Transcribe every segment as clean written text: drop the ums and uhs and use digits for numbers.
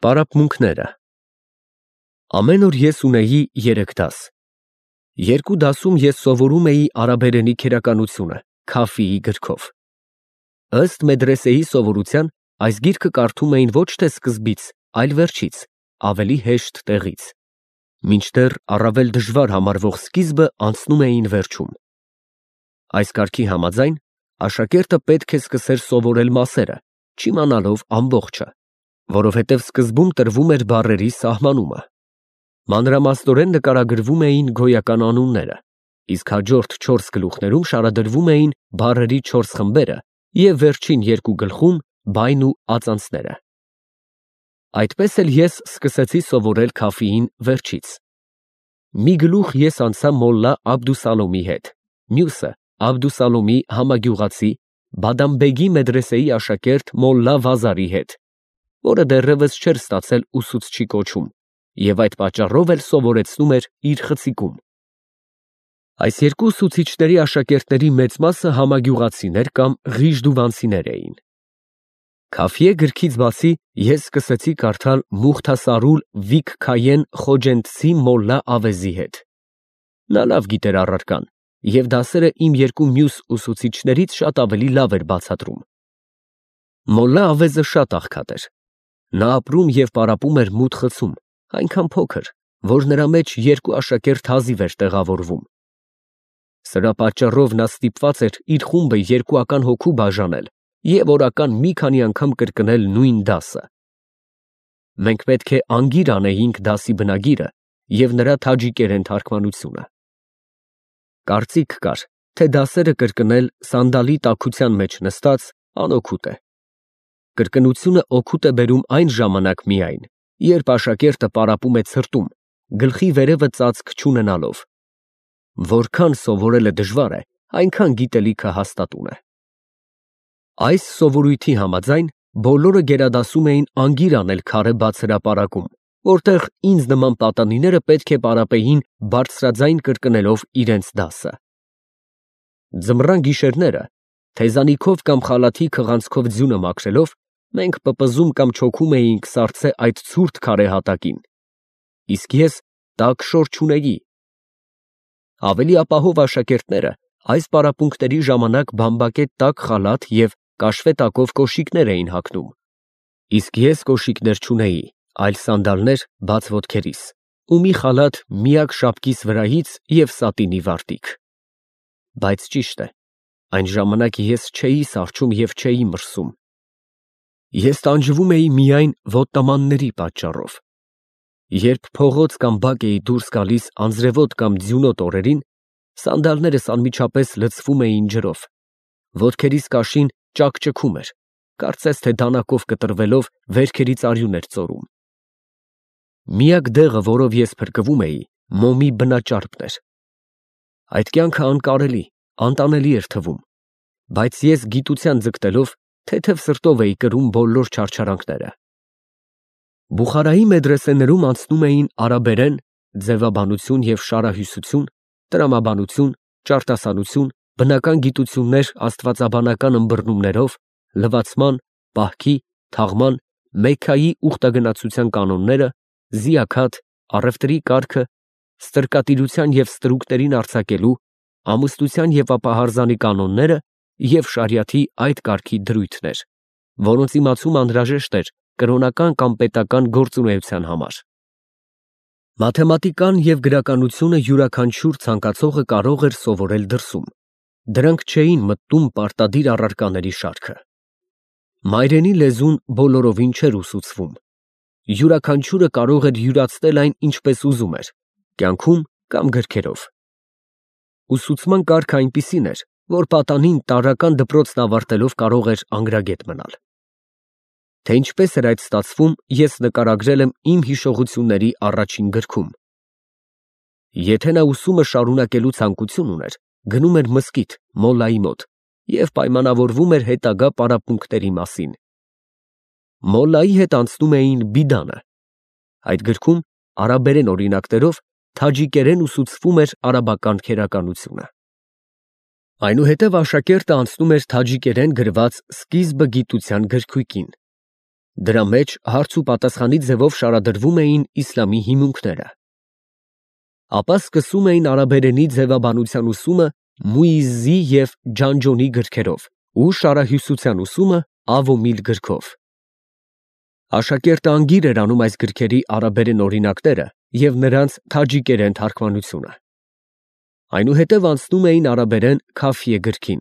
Պարապմունքները Ամեն օր ես ունեի 3 դաս։ Երկու դասում ես սովորում էի արաբերենի քերականությունը Քաֆիի գրքով։ Ըստ մեդրեսեի սովորության այս գիրքը կարդում էին ոչ թե սկզբից, այլ վերջից, ավելի հեշտ տեղից, մինչդեռ առավել դժվար համարվող սկիզբը անցնում էին վերջում։ Այս կարգի համաձայն աշակերտը պետք է սկսեր սովորել մասերը, չիմանալով ամբողջը, որովհետև սկզբում տրվում էր բառերի սահմանումը։ Մանրամասնորեն նկարագրվում էին գոյական անունները, իսկ հաջորդ 4 գլուխներում շարադրվում էին բառերի 4 խմբերը և վերջին 2 գլխում բայն ու ածանցները։ Այդպես էլ ես սկսեցի սովորել Քաֆիին վերջից։ Մի գլուխ ես անցա մոլլա Աբդուսալոմի հետ, մյուսը Աբդուսալոմի համագյուղացի Բադամբեգի մեդրեսեի աշակերտ մոլլա Վազարի հետ, որը դեռևս չէր ստացել ուսուցչի կոչում և այդ պատճառով էլ սովորեցնում էր իր խցիկում։ Այս երկու ուսուցիչների աշակերտների մեծ մասը համագյուղացիներ կամ ղիժդուվանցիներ էին։ Քաֆիե գրքից բացի ես սկսեցի կարդալ Մուխթասարուլ Վիքքայեն Խոջենցի մոլլա Ավեզի հետ։ Նա լավ գիտեր առարկան և դասերը իմ երկու մյուս ուսուցիչներից շատ ավելի լավ էր բացատրում։ Մոլլա Ավեզը շատ աղքատ էր։ Նա ապրում և պարապում էր մութ խցում, այնքան փոքր, որ նրա մեջ 2 աշակերտ հազիվ էր տեղավորվում։ Սրա պատճառով նա ստիպված էր իր խումբը 2-ական հոգու բաժանել և օրական մի քանի անգամ կրկնել նույն դասը։ Մենք պետք է անգիր անեինք դասի բնագիրը և նրա թաջիկերեն թարգմանությունը։ Կարծիք կար, թե դասերը կրկնել սանդալի տաքության մեջ նստած անօգուտ է։ Կրկնությունը օգուտ է բերում այն ժամանակ միայն, երբ աշակերտը պարապում է ցրտում, գլխի վերևը ծածկ չունենալով։ Որքան սովորելը դժվար է, այնքան գիտելիքը հաստատուն է։ Այս սովորույթի համաձայն բոլորը գերադասում էին անգիր անել քարե բաց հրապարակում, որտեղ ինձ նման պատանիները պետք է պարապեին բարձրաձայն կրկնելով իրենց դասը։ Ձմռան գիշերները, թեզանիքով կամ խալաթի քղանցքով ձյունը մաքրելով, մենք պպզում կամ չոքում էինք սառցե այդ ցուրտ քարե հատակին, իսկ ես տաք շոր չունեի։ Ավելի ապահով աշակերտները այս պարապմունքների ժամանակ բամբակե տաք խալաթ և կաշվե տակով կոշիկներ էին հագնում, իսկ ես կոշիկներ չունեի, այլ սանդալներ բաց ոտքերիս ու մի խալաթ միակ շապկիս վրայից և սատինի վարտիք։ Բայց ճիշտ է, այն ժամանակ ես չէի սառչում և չէի մրսում։ Ես տանջվում էի միայն ոտնամանների պատճառով։ Երբ փողոց կամ բակ էի դուրս գալիս անձրևոտ կամ ձյունոտ օրերին, սանդալներս անմիջապես լցվում էին ջրով, ոտքերիս կաշին ճաքճքում էր, կարծես թե դանակով կտրվելով վերքերից արյուն էր ծորում։ Միակ դեղը, որով ես փրկվում էի, մոմի բնաճարպն էր։ Այդ կյանքը անկարելի, անտանելի էր թվում, բայց ես գիտության ձգտելով թեթև սրտով էի կրում բոլոր չարչարանքները։ Բուխարայի մեդրեսեներում անցնում էին արաբերեն, ձևաբանություն և շարահյուսություն, տրամաբանություն, ճարտասանություն, բնական գիտություններ աստվածաբանական ըմբռնումներով, լվացման, պահքի, թաղման, Մեքքայի ուխտագնացության կանոնները, զիաքաթ, առևտրի կարգը, ստրկատիրության և ստրուկներին արձակելու, ամուսնության և ապահարզանի կանոնները և շարիաթի այդ կարգի դրույթներ, որոնց իմացումը անհրաժեշտ էր կրոնական կամ պետական գործունեության համար։ Մաթեմատիկան և գրականությունը յուրաքանչյուր ցանկացողը կարող էր սովորել դրսում, դրանք չէին մտնում պարտադիր առարկաների շարքը։ Մայրենի լեզուն բոլորովին չէր ուսուցվում, յուրաքանչյուրը կարող էր յուրացնել այն ինչպես ուզում էր, կյանքում կամ գրքերով։ Ուսուցման կարգը այնպիսին էր, որ պատանին տարրական դպրոցն ավարտելով կարող էր անգրագետ մնալ։ Թե ինչպես էր այդ ստացվում, ես նկարագրել եմ իմ հիշողությունների առաջին գրքում։ Եթե նա ուսումը շարունակելու ցանկություն ուներ, գնում էր մզկիթ մոլլայի մոտ և պայմանավորվում էր հետագա պարապմունքների մասին։ Մոլլայի հետ անցնում էին բիդանը։ Այդ գրքում արաբերեն օրինակներով թաջիկերեն ուսուցվում էր արաբական քերականությունը։ Այնուհետև աշակերտը անցնում էր թաջիկերեն գրված սկիզբը գիտության գրքույկին։ Դրա մեջ հարց ու պատասխանի ձևով շարադրվում էին իսլամի հիմունքները։ Ապա սկսում էին արաբերենի ձևաբանության ուսումը Մուիզզի և Ջանջոնի գրքերով ու շարահյուսության ուսումը Ավոմիլ գրքով։ Աշակերտը անգիր էր անում այս գրքերի արաբերեն օրինակները և նրանց թաջիկերեն թարգմանությունը։ Այնուհետև անցնում էին արաբերեն Քաֆիե գրքին,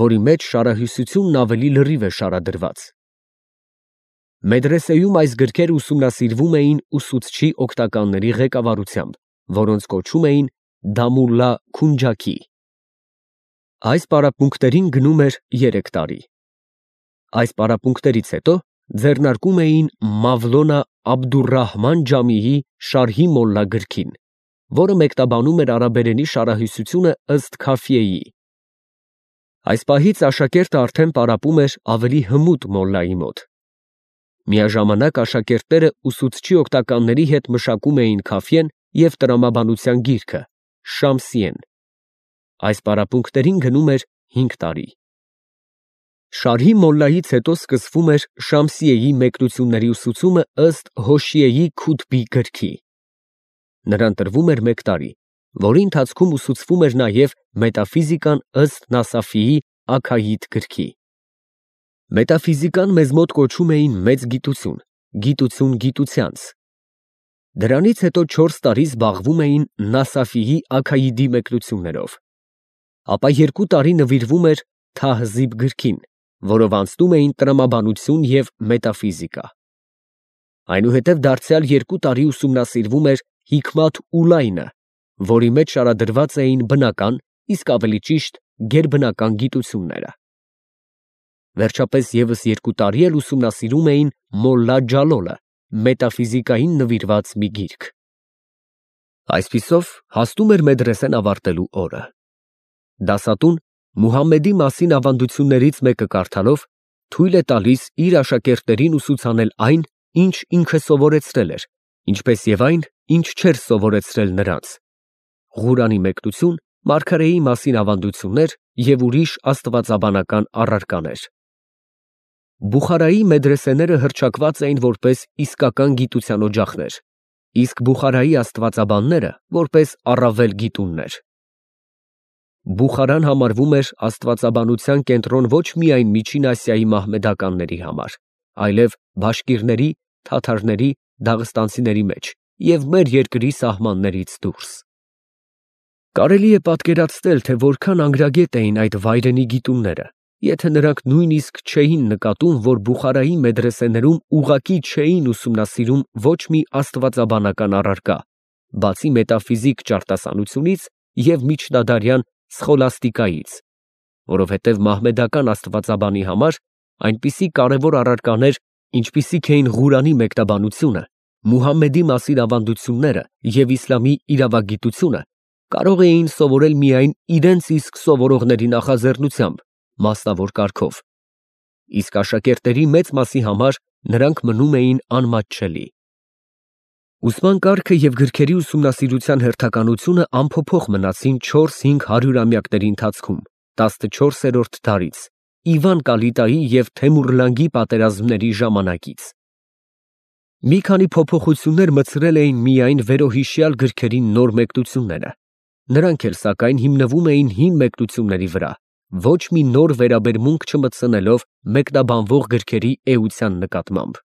որի մեջ շարահյուսությունն ավելի լրիվ է շարադրված։ Մեդրեսեում այս գրքերը ուսումնասիրվում էին ուսուցչի օգնականների ղեկավարությամբ, որոնց կոչում էին Դամուլլա Քունջաքի։ Այս պարապմունքներին գնում էր 3 տարի։ Այս պարապմունքներից հետո ձեռնարկում էին Մավլոնա Աբդուրռահման Ջամիի Շարհի Մոլլա գրքին, որը մեկնաբանում էր արաբերենի շարահյուսությունը ըստ Քաֆիեի։ Այս պահից աշակերտը արդեն պարապում էր ավելի հմուտ մոլլայի մոտ։ Միաժամանակ աշակերտները ուսուցչի օգնականների հետ մշակում էին Քաֆիեն և տրամաբանության գիրքը Շամսիեն։ Այս պարապմունքներին գնում էր 5 տարի։ Շարհի մոլլայից հետո սկսվում էր Շամսիեի մեկնությունների ուսուցումը ըստ Հոշիեի Քութբի գրքի։ Նրան տրվում էր 1 տարի, որի ընթացքում ուսուցվում էր նաև մետաֆիզիկան ըստ Նասաֆիի Աքայիդ գրքի։ Մետաֆիզիկան մեզ մոտ կոչում էին մեծ գիտություն, գիտություն գիտությանց։ Դրանից հետո 4 տարի զբաղվում էին Նասաֆիի Աքայիդի մեկնություններով։ Ապա 2 տարի նվիրվում էր Թահզիբ գրքին, որով անցնում էին տրամաբանություն և մետաֆիզիկա։ Այնուհետև դարձյալ 2 տարի ուսումնասիրվում էր Հիքմաթ Ուլայնը, որի մեջ շարադրված էին բնական, իսկ ավելի ճիշտ գերբնական գիտությունները։ Վերջապես ևս 2 տարի էլ ուսումնասիրում էին Մոլլա Ջալոլը, մետաֆիզիկային նվիրված մի գիրք։ Այսպիսով հասնում էր մեդրեսեն ավարտելու օրը։ Դասատուն Մուհամմեդի մասին ավանդություններից մեկը կարդալով թույլ է տալիս իր աշակերտներին ուսուցանել այն, ինչ ինքը սովորեցրել էր, ինչպես և այն, ինչ չէր սովորեցրել նրանց։ Ղուրանի մեկնություն, մարգարեի մասին ավանդություններ և ուրիշ աստվածաբանական առարկաներ։ Բուխարայի մեդրեսեները հռչակված էին որպես իսկական գիտության օջախներ, իսկ Բուխարայի աստվածաբանները որպես առավել գիտուններ։ Բուխարան համարվում էր աստվածաբանության կենտրոն ոչ միայն Միջին Ասիայի մահմեդականների համար, այլև բաշկիրների, թաթարների, դաղստանցիների մեջ և մեր երկրի սահմաններից դուրս։ Կարելի է պատկերացնել, թե որքան անգրագետ էին այդ վայրենի գիտունները, եթե նրանք նույնիսկ չէին նկատում, որ Բուխարայի մեդրեսեներում ուղղակի չէին ուսումնասիրում ոչ մի աստվածաբանական առարկա, բացի մետաֆիզիկ ճարտասանությունից և միջնադարյան սխոլաստիկայից, որովհետև մահմեդական աստվածաբանի համար այնպիսի կարևոր առարկաներ, ինչպիսիք էին Ղուրանի մեկնաբանությունը, Մուհամմեդի մասին ավանդությունները և իսլամի իրավագիտությունը, կարող էին սովորել միայն իրենց իսկ սովորողների նախաձեռնությամբ, մասնավոր կարգով, իսկ աշակերտների մեծ մասի համար նրանք մնում էին անմատչելի։ Ուսման կարգը և գրքերի ուսումնասիրության հերթականությունը անփոփոխ մնացին 4-5 հարյուրամյակների ընթացքում 14-րդ դարից, Իվան Կալիտայի և Թեմուրլանգի պատերազմների ժամանակից։ Մի քանի փոփոխություններ մտցրել էին միայն վերոհիշյալ գրքերի նոր մեկնությունները, նրանք էլ սակայն հիմնվում էին հին մեկնությունների վրա, ոչ մի նոր վերաբերմունք չմտցնելով մեկնաբանվող գրքերի էության նկատմամբ։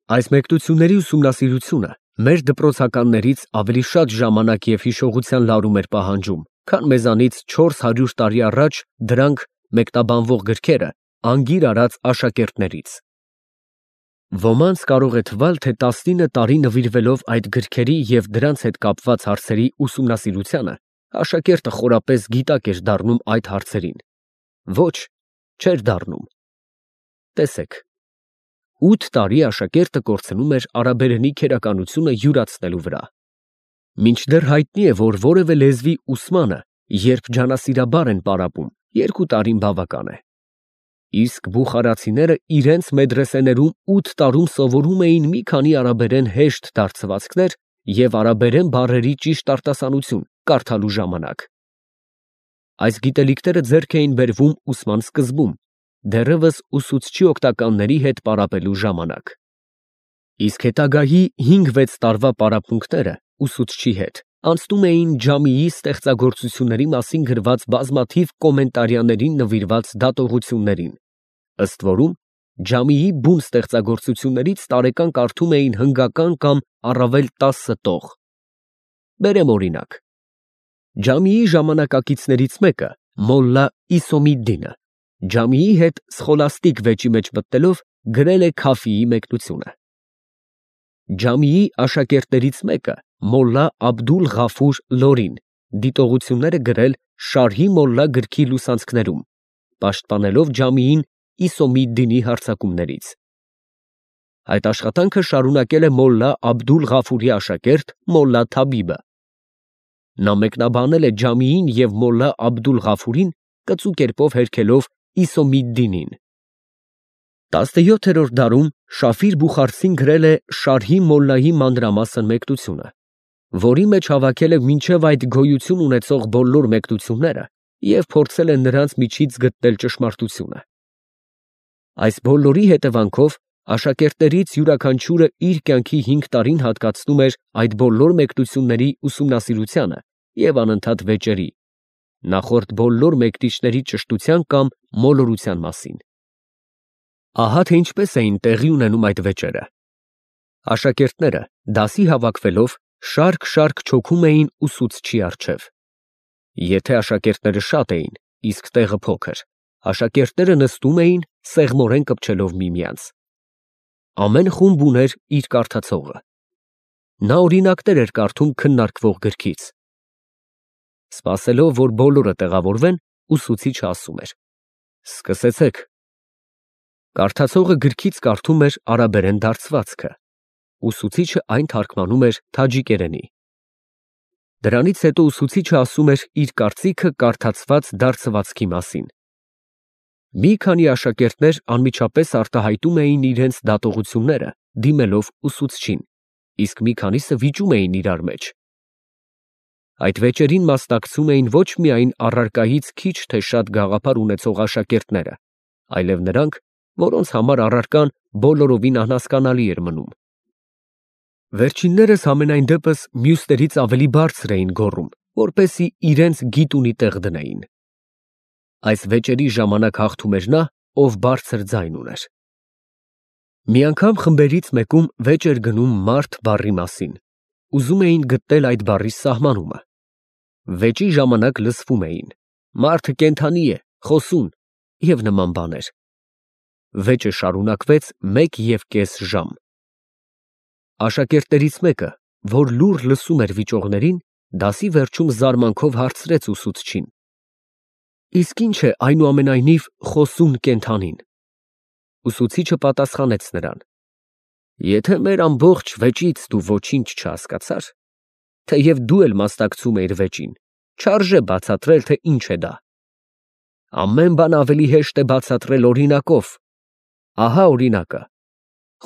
Այս մեկնությունների ուսումնասիրությունը մեր դպրոցականներից ավելի շատ ժամանակ և հիշողության լարում էր պահանջում, քան մեզանից 400 տարի առաջ դրանք մեկնաբանվող գրքերը անգիր արած աշակերտներից։ Ոմանց կարող է թվալ, թե 19 տարի նվիրվելով այդ գրքերի և դրանց հետ կապված հարցերի ուսումնասիրությանը, աշակերտը խորապես գիտակ էր դառնում այդ հարցերին։ Ոչ, չէր դառնում։ Տեսեք, 8 տարի աշակերտը կորցնում էր արաբերենի քերականությունը յուրացնելու վրա։ Մինչդեռ հայտնի է, որ որևէ լեզվի ուսմանը, երբ ջանասիրաբար են պարապում, 2 տարին բավական է։ Իսկ բուխարացիները իրենց մեդրեսեներում 8 տարում սովորում էին մի քանի արաբերեն հեշտ դարձվածքներ և արաբերեն բառերի ճիշտ արտասանություն կարդալու ժամանակ։ Այս գիտելիքները ձեռք էին բերվում ուսման սկզբում, դեռևս ուսուցչի օգնականների հետ պարապելու ժամանակ։ Իսկ հետագայի 5-6 տարվա պարապմունքները ուսուցչի հետ անցնում էին Ջամիի ստեղծագործությունների մասին գրված բազմաթիվ կոմենտարիաներին նվիրված դատողություններին, ըստ որում Ջամիի բուն ստեղծագործություններից տարեկան կարդում էին հնգական կամ առավել 10 տող։ Բերեմ օրինակ. Ջամիի ժամանակակիցներից մեկը, Մոլլա Իսոմիդդինը, Ջամիի հետ սխոլաստիկ վեճի մեջ մտնելով գրել է Քաֆիի մեկնությունը։ Ջամիի աշակերտներից մեկը, Մոլլա Աբդուլ Ղաֆուր Լորին, դիտողություններ է գրել Շարհի Մոլլա գրքի լուսանցքներում, պաշտպանելով Ջամիին Իսոմիդդինի հարձակումներից։ Այդ աշխատանքը շարունակել է Մոլլա Աբդուլ Ղաֆուրի աշակերտ Մոլլա Թաբիբը։ Նա մեկնաբանել է Ջամիին և Մոլլա Աբդուլ Ղաֆուրին կծու կերպով հերքելով Իսոմիդդինին։ 17-րդ դարում Շաֆիր Բուխարցին գրել է Շարհի Մոլլայի մանրամասն մեկնությունը, որի մեջ հավաքել է մինչև այդ գոյություն ունեցող բոլոր մեկնությունները և փորձել է նրանց միջից գտնել ճշմարտությունը։ Այս բոլորի հետևանքով աշակերտներից յուրաքանչյուրը իր կյանքի 5 տարին հատկացնում էր այդ բոլոր մեկնությունների ուսումնասիրությանը և անընդհատ վեճերի, նախորդ բոլոր մեկնիչների ճշտության կամ մոլորության մասին։ Ահա թե ինչպես էին տեղի ունենում այդ վեճերը։ Աշակերտները դասի հավաքվելով շարք չոքում էին ուսուցչի առջև։ Եթե աշակերտները շատ էին, իսկ տեղը փոքր, աշակերտները նստում էին, սեղմորեն կպչելով միմյանց։ Ամեն խումբ ուներ իր կարդացողը։ Նա օրինակներ էր կարդում քննարկվող գրքից։ Սպասելով, որ բոլորը տեղավորվեն, ուսուցիչը ասում էր. «Սկսեցեք»։ Կարդացողը գրքից կարդում էր արաբերեն դարձվածքը, ուսուցիչը այն թարգմանում էր թաջիկերենի։ Դրանից հետո ուսուցիչը ասում էր իր կարծիքը կարդացված դարձվածքի մասին։ Մի քանի աշակերտներ անմիջապես արտահայտում էին իրենց դատողությունները, դիմելով ուսուցչին, իսկ մի քանիսը վիճում էին իրար մեջ։ Այդ վեճերին մասնակցում էին ոչ միայն առարկայից քիչ թե շատ գաղափար ունեցող աշակերտները, այլև նրանք, որոնց համար առարկան բոլորովին անհասկանալի էր մնում։ Վերջիններս համենայն դեպս մյուսներից ավելի բարձր էին գոռում, որպեսզի իրենց գիտունի տեղ դնեին։ Այս վեճերի ժամանակ հաղթում էր նա, ով բարձր ձայն ուներ։ Մի անգամ խմբերից մեկում վեճ էր գնում մարդ բառի մասին, ուզում էին գտնել այդ բառի սահմանումը։ Վեճի ժամանակ լսվում էին. «Մարդը կենդանի է, խոսուն» և նման բաներ։ Վեճը շարունակվեց 1.5 ժամ։ Աշակերտներից մեկը, որ լուռ լսում էր վիճողներին, դասի վերջում զարմանքով հարցրեց ուսուցչին. «Իսկ ի՞նչ է այնուամենայնիվ խոսուն կենդանին»։ Ուսուցիչը պատասխանեց նրան. «Եթե մեր ամբողջ վեճից դու ոչինչ չհասկացար, թեև դու էլ մասնակցում էիր վեճին, չարժե բացատրել, թե ինչ է դա։ Ամեն բան ավելի հեշտ է բացատրել օրինակով։ Ահա օրինակը.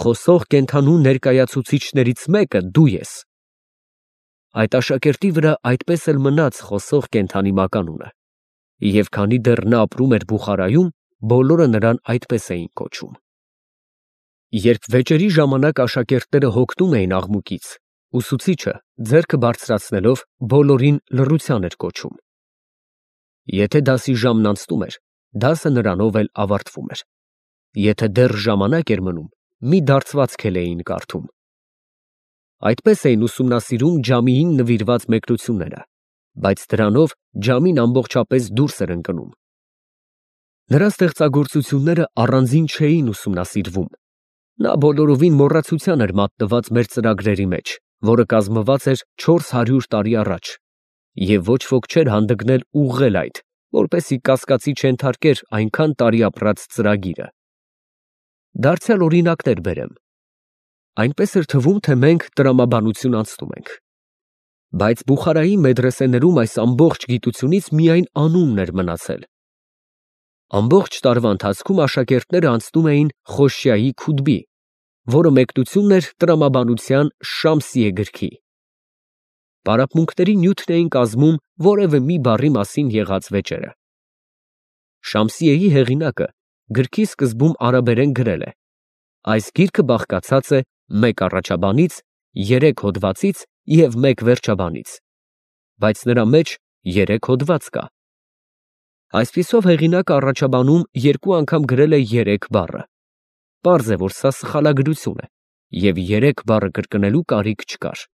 խոսող կենդանու ներկայացուցիչներից մեկը դու ես»։ Այդ աշակերտի վրա այդպես էլ մնաց խոսող կենդանի մականունը, և քանի դեռ նա ապրում էր Բուխարայում, բոլորը նրան այդպես էին կոչում։ Երբ վեճերի ժամանակ աշակերտները հոգնում էին աղմուկից, ուսուցիչը, ձեռքը բարձրացնելով, բոլորին լռության էր կոչում։ Եթե դասի ժամն անցնում էր, դասը նրանով էլ ավարտվում էր։ Եթե դեռ ժամանակ էր մնում, մի դարձվածք էլ էին կարդում։ Այդպես էին ուսումնասիրում Ջամիին նվիրված մեկնությունները, բայց դրանով Ջամին ամբողջապես դուրս էր ընկնում։ Նրա ստեղծագործությունները առանձին չէին ուսումնասիրվում։ Նա բոլորովին մոռացության էր մատնված մեր ծրագրերի մեջ, որը կազմված էր 400 տարի առաջ, և ոչ ոք չէր հանդգնել ուղղել այդ, որպեսզի կասկածի չենթարկեր այնքան տարի ապրած ծրագիրը։ Դարձյալ օրինակներ բերեմ։ Այնպես էր թվում, թե մենք տրամաբանություն անցնում ենք։ Բայց Բուխարայի մեդրեսեներում այս ամբողջ գիտությունից միայն անունն էր մնացել։ Ամբողջ տարվա ընթացքում աշակերտները անցնում էին Խոշյայի Քութբի, որը մեկնությունն էր տրամաբանության Շամսիե գրքի։ Պարապմունքների նյութն էին կազմում որևէ մի բառի մասին եղած վեճերը։ Շամսիեի հեղինակը գրքի սկզբում արաբերեն գրել է. այս գիրքը բաղկացած է 1 առաջաբանից, 3 հոդվածից և 1 վերջաբանից, բայց նրա մեջ 3 հոդված կա։ Այսպիսով հեղինակը առաջաբանում 2 անգամ գրել է 3 բառը։ Պարզ է, որ սա սխալագրություն է, և 3 բառը կրկնելու կարիք չկար։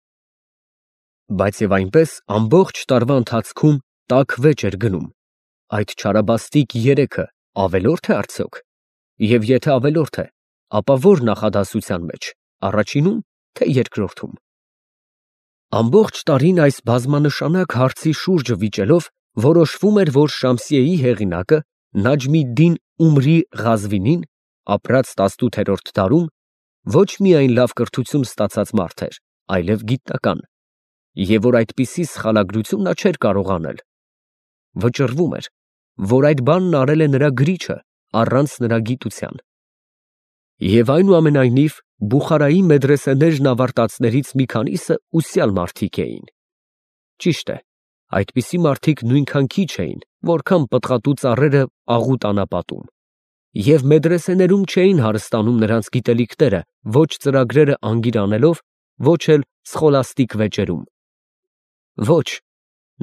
Բայց և այնպես ամբողջ տարվա ընթացքում տաք վեճ էր գնում։ Այդ չարաբաստիկ 3-ը ավելո՞րդ է արդյոք։ Եվ եթե ավելորդ է, ապա ո՞ր նախադասության մեջ, առաջինու՞մ, թե երկրորդում։ Ամբողջ տարին այս բազմանշանակ հարցի շուրջը վիճելով որոշվում էր, որ Շամսիեի հեղինակը Նաջմիդդին Ումրի Ղազվինին ապրած 18-րդ դարում ոչ միայն լավ կրթություն ստացած մարդ էր, այլև գիտնական, և որ այդպիսի սխալագրություն նա չէր կարող անել։ Վճռվում էր, որ այդ բանն արել է նրա գրիչը առանց նրա գիտության։ Եվ այնուամենայնիվ Բուխարայի մեդրեսեներն ավարտածներից մի քանիսը ուսյալ մարդիկ էին։ Ճիշտ է, այդպիսի մարդիկ նույնքան քիչ էին, որքան պտղատու ծառերը աղոտ անապատում, և մեդրեսեներում չէին հարստանում նրանց գիտելիքները ոչ ծրագրերը անգիր անելով, ոչ էլ սխոլաստիկ վեճերում։ Ոչ,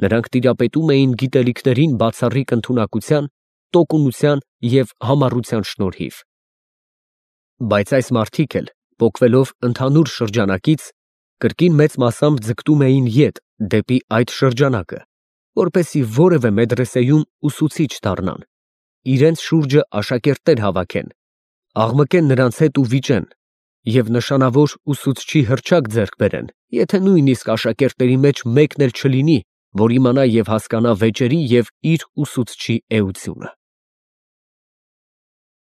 նրանք տիրապետում էին գիտելիքներին բացառիկ ընդունակության, տոկունության և համառության շնորհիվ։ Բայց այս մարդիկ էլ, պոկվելով ընդհանուր շրջանակից, կրկին մեծ մասամբ ձգտում էին ետ դեպի այդ շրջանակը, որպեսզի որևէ մեդրեսեյում ուսուցիչ դառնան, իրենց շուրջը աշակերտներ հավաքեն, աղմկեն նրանց հետ ու վիճեն, և նշանավոր ուսուցչի հռչակ ձեռք բերեն, եթե նույնիսկ աշակերտների մեջ մեկն էլ չլինի, որ իմանա և հասկանա վեճերի և իր ուսուցչի էությունը։